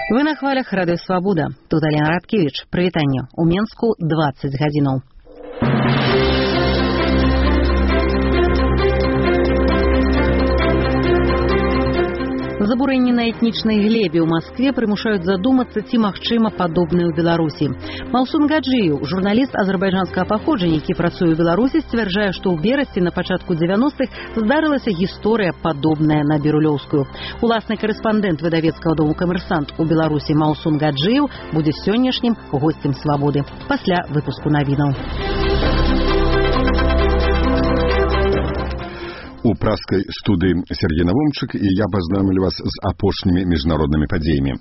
Вы на хвалях Радыё Свабода. Тут Алена Радкевич. Прывітанне. У Менску 20 гадзінаў. Забурэнні на этнічнай глебе ў Маскве прымушаюць задумацца, ці магчыма падобнае ў Беларусі. Маусун Гаджиев, журналіст азербайджанскага паходжання, які працуе ў Беларусі, сцвярджае, што ў берасці на пачатку 90-х здарылася гісторыя падобная на бірулёўскую. Уласны карэспандэнт выдавецкага дому «Камерсант» у Беларусі Маусун Гаджиев будзе сённяшнім госцем Свабоды. Пасля выпуску навінаў. У праскай студыі Сергей Навумчык і я пазнайомлю вас з апошнімі міжнароднымі падзеямі.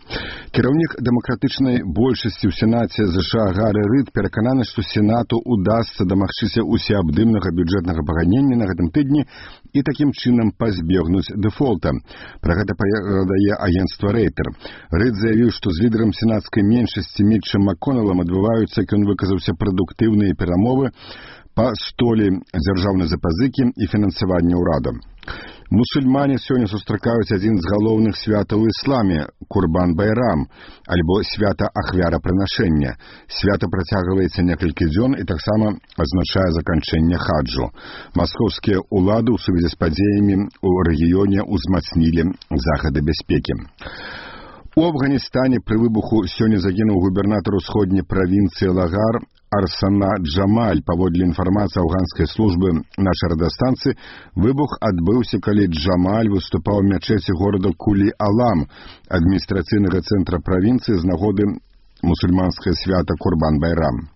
Кіраўнік дэмакратычнай большасці ў Сенаце США Гаррі Рид перакананы, што Сенату удасца дамагчыся усеабдымнага бюджэтнага паганення на гэтым тыдні і такім чынам пазбегнуць дэфолта. Пра гэта перадае агенцтва Рейтер. Рид заявіў, што з лідарам сенатскай меншасці Мітчам Макконелам адбываюцца, як ён выказаўся, прадуктыўныя перамовы па столі дзяржаўнай запазыкі і фінансавання ўрада. Мусульмане сёння сустракаюць адзін з галоўных святаў у ісламе – Курбан-Байрам, альбо свята ахвярапрынашэння. Свята працягваецца некалькі дзён і таксама азначае заканчэнне хаджу. Маскоўскія ўлады ў сувязі з падзеямі ў рэгіёне ўзмацнілі захады бяспекі. У Афганістане пры выбуху сёння загінуў губернатар усходняй правінцыі Лагар Арсана Джамаль. Паводле інфармацыі афганскай службы нашай радыёстанцыі, выбух адбыўся, калі Джамаль выступаў у мячэці горада Кулі-Алам, адміністрацыйнага цэнтра правінцыі, з нагоды мусульманскае свята Курбан-Байрам.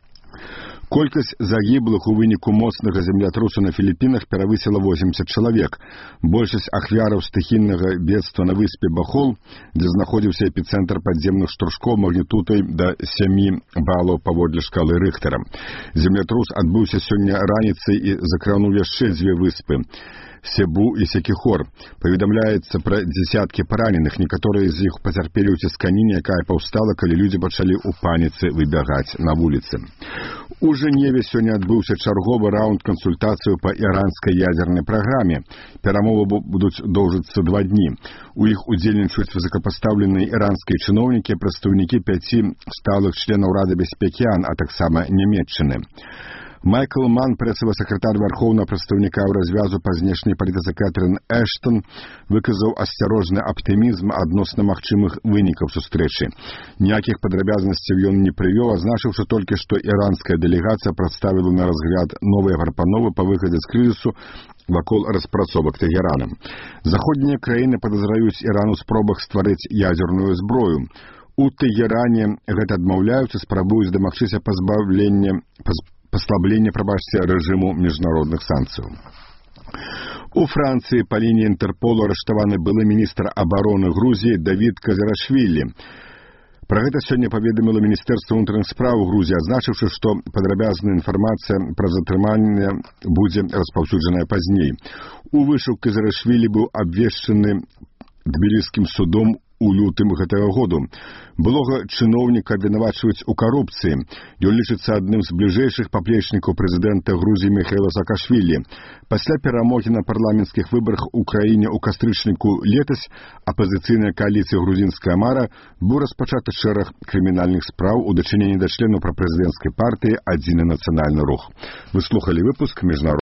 Колькасць загіблых у выніку моцнага землятрусу на Філіпінах перавысіла 80 чалавек. Большасць ахвяраў стыхійнага бедства на выспе Бахол, дзе знаходзіўся эпіцэнтр падземных штуршкоў магнітудай да 7 балаў паводле шкалы Рыхтера. Землятрус адбыўся сёння раніцай і закрануў яшчэ 2 выспы – Себу і Секіхор. Паведамляецца пра дзесяткі параненых, некаторыя з іх пацярпелі ў цісканіне, якая паўстала, калі людзі пачалі ў паніцы выбягаць на вуліцы. У Жэневе сёння адбыўся чарговы раунд кансультацыяў па іранскай ядзернай праграме. Перамовы будуць доўжыцца 2 дні. У іх удзельнічаюць высокапастаўленыя іранскія чыноўнікі, прадстаўнікі 5 сталых членаў Рады бяспекі АН, а таксама Нямецчыны. Майкл Ман, прэсавы сакратар вярхоўнага прадстаўніка ў развязу па знешняй палітыцы Кэтрын Эштон, выказаў асцярожны аптымізм адносна магчымых вынікаў сустрэчы. Ніякіх падрабязнасцяў ён не прывёў, азначыўшы толькі, што іранская дэлегацыя прадставіла на разгляд новыя прапановы па выхадзе з крызісу вакол распрацовак Тэгераном. Заходнія краіны падазраюць Іран у спробах стварыць ядзерную зброю. У Тэгеране гэта адмаўляюцца, спрабуюць дамагчыся паслаблення рэжыму міжнародных санкцыяў. У Францыі па лініі Інтэрполу арыштаваны былы міністр абароны Грузіі Давід Казарашвілі. Пра гэта сёння паведаміла Міністэрства ўнутраных спраў Грузіі, адзначыўшы, што падрабязная інфармацыя пра затрыманне будзе распаўсюджаная пазней. У вышук Казарашвілі быў абвешчаны Тбіліскім судом у лютым гэтага году. Былога чыноўніка абвінавачваюць у карупцыі. Ён лічыцца адным з бліжэйшых паплечнікаў прэзідэнта Грузіі Міхаіла Саакашвілі. Пасля перамогі на парламенцкіх выбарах у краіне ў кастрычніку летась апазіцыйная кааліцыя «Грузінская мара» быў распачаты шэраг крымінальных спраў у дачыненні да членаў прапрэзідэнцкай партыі «Адзіны нацыянальны рух». Вы слухалі выпуск міжнародных